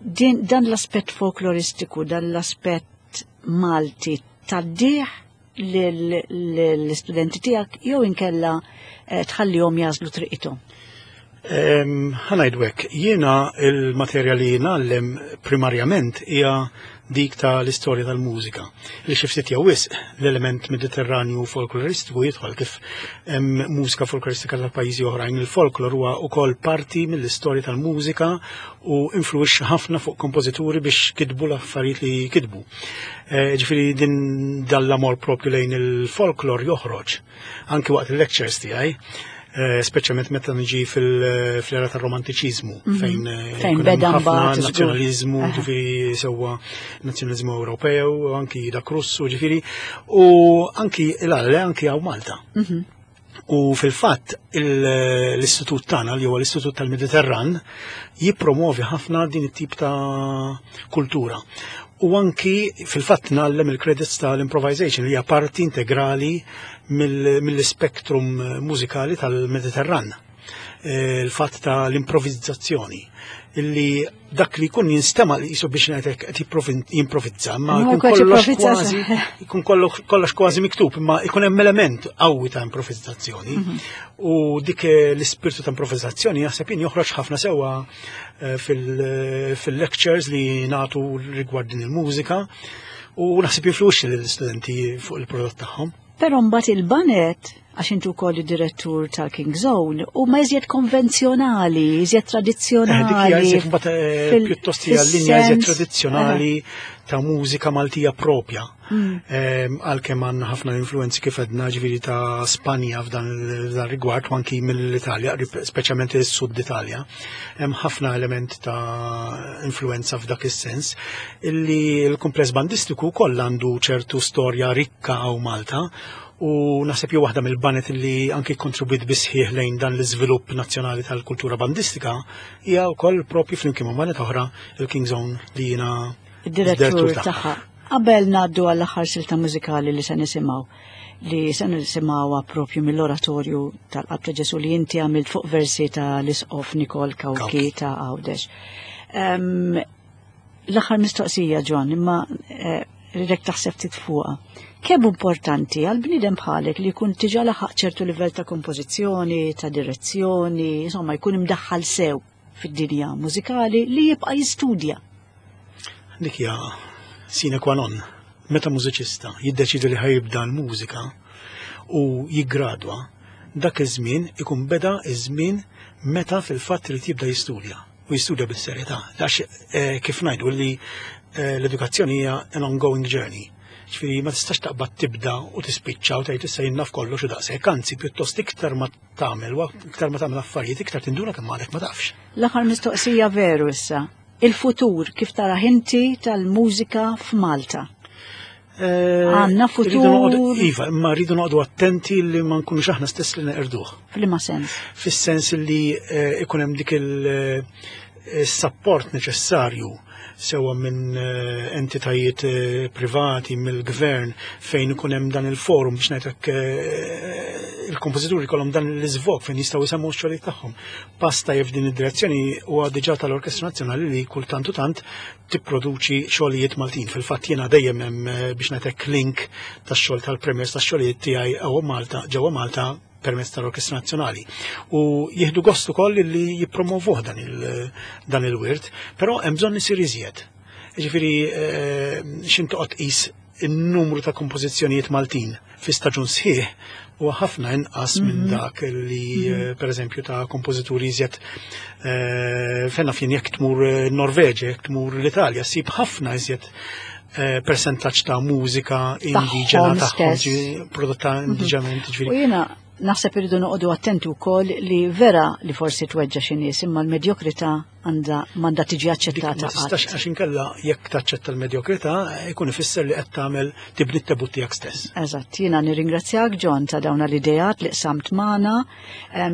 dan l-aspett folkloristiku, dan l-aspett Malti tgħaddih l-istudenti tiegħek jew inkella eh, tħallihom jażlu triqithom? Ħa ngħidu hekk, jiena il-materja li ngħallem primarjament hija dik ta' l-istorja tal-mużika. Li xi ftit jew wisq l-element mediterranju folkloristiku jidħol kif hemm mużika folkloristika tal-pajjiżi oħrajn. Il-folklor huwa wkoll parti mill-istorja tal-mużika u influwixxa ħafna fuq kompożituri biex kitbu l-affarijiet li kitbu. Eh, ġifieri din dal-amor propju lejn il-folklor joħroġ anki waqt il-lectures tiegħi eh, speċjalment meta niġi fil-era tar-romantiċiżmu mhm. fejn eh, fejn beda mbagħad nazzjonaliżmu, ġifieri sewwa nazzjonaliżmu Ewropew, anki dak Russu, ġifieri u anki l-għale anki hawn Malta. Mhm. U fil-fatt l-istitut tagħna li huwa l-Istitut tal-Mediterran jippromovi ħafna din it-tip ta' kultura. U anki fil-fatt ngħallem il-credits tal-improvisation li hija parti integrali mill-spektrum mużikali tal-Mediterran. Eh, il-fatt ta' l-improvizzazzjoni illi dak li jkun jinstema li jisu biex ngħidlek qed jimprovizza, ma jkun kollox kważi jkun kollox kważi miktub, imma jkun hemm element qawwi ta' improvizzazzjoni. Mhm. U dik eh, l-ispirtu ta' improvizzazzjoni jaħseb jien joħroġ ħafna sewwa eh, fil-lectures li nagħtu rigward din il-mużika u naħseb jinfluwixxi lill-istudenti fuq il-prodott tagħhom. Però mbagħad il-banet, għax intu wkoll id-direttur tal-King Zone, huma iżjed konvenzjonali, iżjed eh, tradizzjonali. Dik hija iżjed mbagħad eh, pjuttost hija linja iżjed tradizzjonali ta' mużika Maltija propja. Mm. Ehm, għalkemm għandna ħafna influenzi kif għedna ġifieri ta' Spanja f'dan rigward u anki mill-Italja, speċjalment is-Sud Italja. Hemm ħafna element ta' influenza f'dak is-sens illi l-kumpless bandistiku wkoll għandu ċertu storja rikka hawn Malta u naħseb jew waħda mill-banet li anki kontribwit bisħieħ lejn dan l-iżvilupp nazzjonali tal-kultura bandistika hija wkoll propju flimkien ma' banet oħra il-King Zone li jiena id-direttur tagħha. Qabel ngħaddu għall-aħħar silta mużikali li se nisimgħu li se nisimgħuha propju mill-oratorju tal-Qalb ta' Ġesu li inti għamilt fuq versi ta' l-Isqof Nikol Kawki ta' Għawdex. L-aħħar mistoqsija, John, imma eh, ridek taħseb ftit fuqha. Kemm importanti għal bniedem bħalek li jkun tiġa laħaq ċertu livell ta' kompożizzjoni, ta' direzzjoni, insomma jkun imdaħħal sew fid-dinja mużikali li jibqa' jistudja. Dik hija sine qua non. Meta mużiċista jiddeċidi li ħajibda l-mużika u jiggradwa, dak iż-żmien ikun beda iż-żmien meta fil-fatt irid jibda jistudja u jistudja bis-serjetà. Għax eh, kif ngħidu li eh, l-edukazzjoni hija an ongoing journey. Ġifieri ma tistax taqbad tibda u tispiċċa u tgħid issa jien naf kollox u daqshekk, anzi pjuttost iktar ma tagħmel u iktar ma tagħmel affarijiet iktar tinduna kemm għadek ma tafx. L-aħħar mistoqsija veru issa. Il-futur kif tarah inti tal-mużika f'Malta? Eh, Għanna futur. Iva, imma rridu noqogħdu attenti li ma nkunux aħna stess li neqirduh. F'liema sens? Fis-sens li eh, ikun hemm dik il-support eh, neċessarju sewa minn entitajiet privati, mill-gvern, fejn ikun hemm dan il-forum biex ngħidlek il-kompożituri jkollhom dan l-iżvog fejn jistgħu jsemmu x-xogħlijiet tagħhom. Pass tajjeb f'din id-direzzjoni huwa diġà tal-Orkestra Nazzjonali li kultant u tant tipproduċi xogħlijiet Maltin. Fil-fatt jiena dejjem hemm eh, biex ngħidlek link tax-xogħol tal-premiers tax-xogħlijiet tiegħi ewwa Malta ġewwa Malta permezz tal-Orkestra Nazzjonali. U jieħdu gost ukoll li jippromovuh dan il-dan il-wirt, però hemm bżonn isir iżjed. Ġifieri eh, x'int toqgħod tqis in-numru ta' kompożizzjonijiet Maltin fi staġun sħiħ huwa ħafna inqas minn mhm. dak li mhm. eh, pereżempju ta' kompożituri iżjed eh, fenna fien jekk tmur eh, Norveġa, jekk tmur l-Italja, ssib ħafna iżjed persentaġġ ta' mużika indiġena tagħhom prodotta mhm. indiġenament ġifieri. U jiena naħseb irridu noqogħdu attenti wkoll li vera li forsi tweġġa' xi nies imma l-medjokrità għandha m'għandha tiġi aċċettata. Ma tistax għax inkella jekk taċċetta l-medjokrità ikun ifisser li qed tagħmel tibni t-tebut tiegħek stess. Eżatt, jiena nirringrazzjak John ta' dawn l-ideat li qsamt magħna.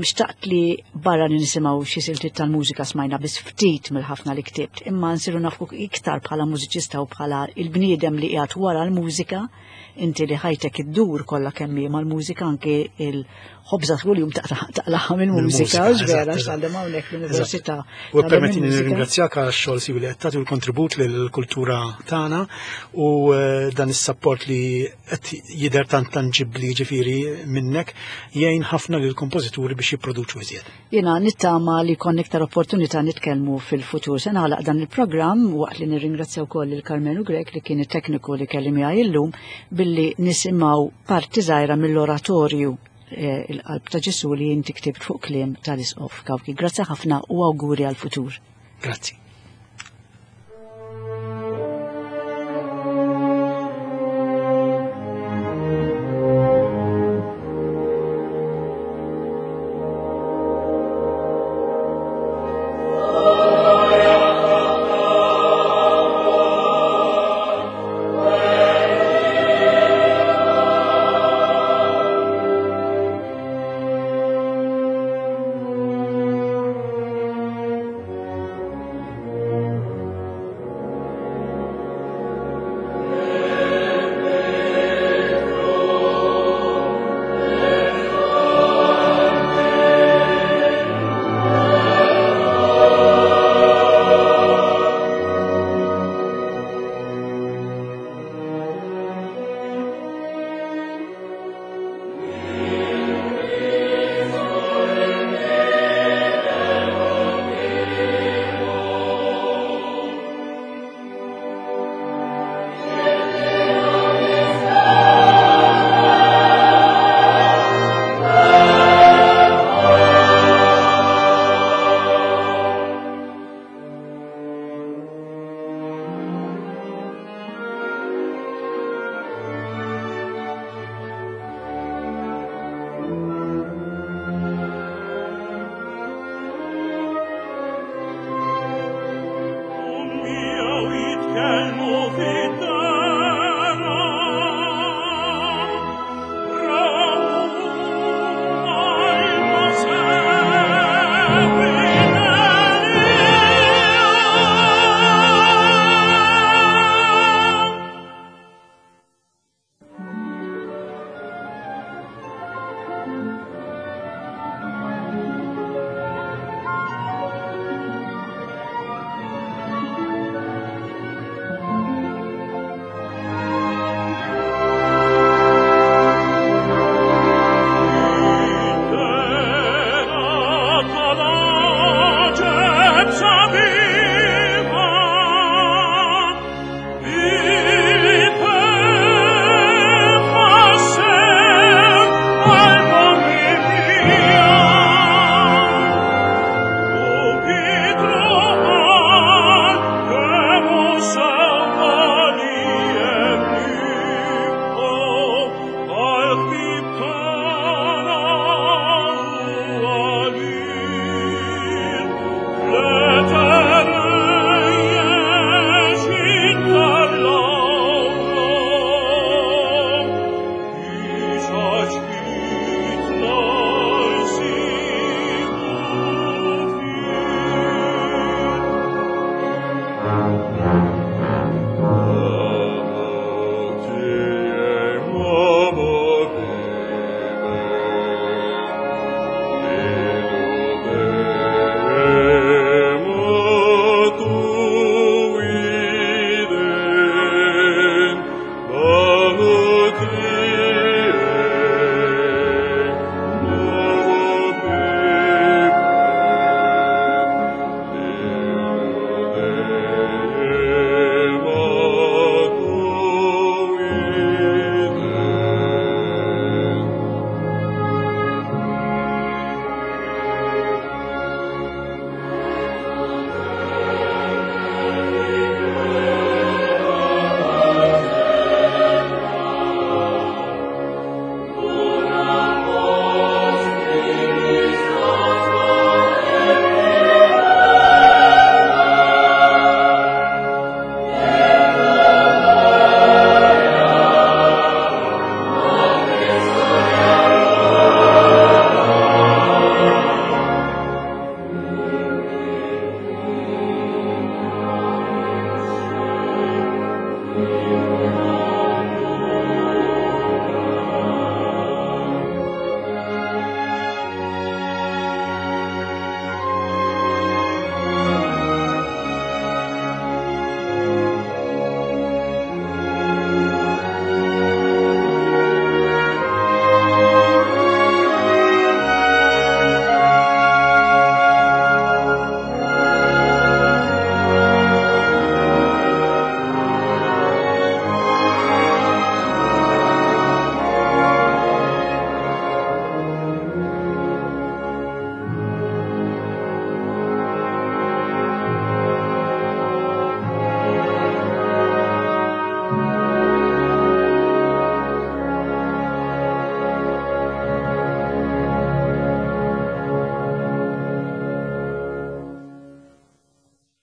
Xtaqt li barra li nisimgħu xi siltiet tal-mużika smajna biss ftit mill-ħafna li ktibt, imma nsiru nafu iktar bħala mużiċista u bħala il-bniedem li qiegħed wara l-mużika inti li ħajtek iddur kollha kemm hi mal-mużika anke il-ħobża kuljum taqlaħa mill-mużika, vera x'għandhom hawnhekk l-università. U permettini nirringrazzjak għal xogħol siwi li qed tagħti l-kontribut lill-kultura tagħna u eh, dan is-sapport li qed jidher tant tanġibbli ġifieri minnek jgħin ħafna lill-kompożituri biex jipproduċu iżjed. Jiena nittama li jkollna iktar opportunità nitkellmu fil-futur. Se nagħlaq dan il-programm waqt li nirringrazzja wkoll lil Karmenu Grech li kien it-tekniku li kelli miegħi illum billi nisimgħu parti żgħira mill-oratorju eh, il-qalb ta' Ġesu li inti ktibt fuq kliem tal-Isqof Kawki. Grazzi ħafna u awguri għal-futur. Grazzi.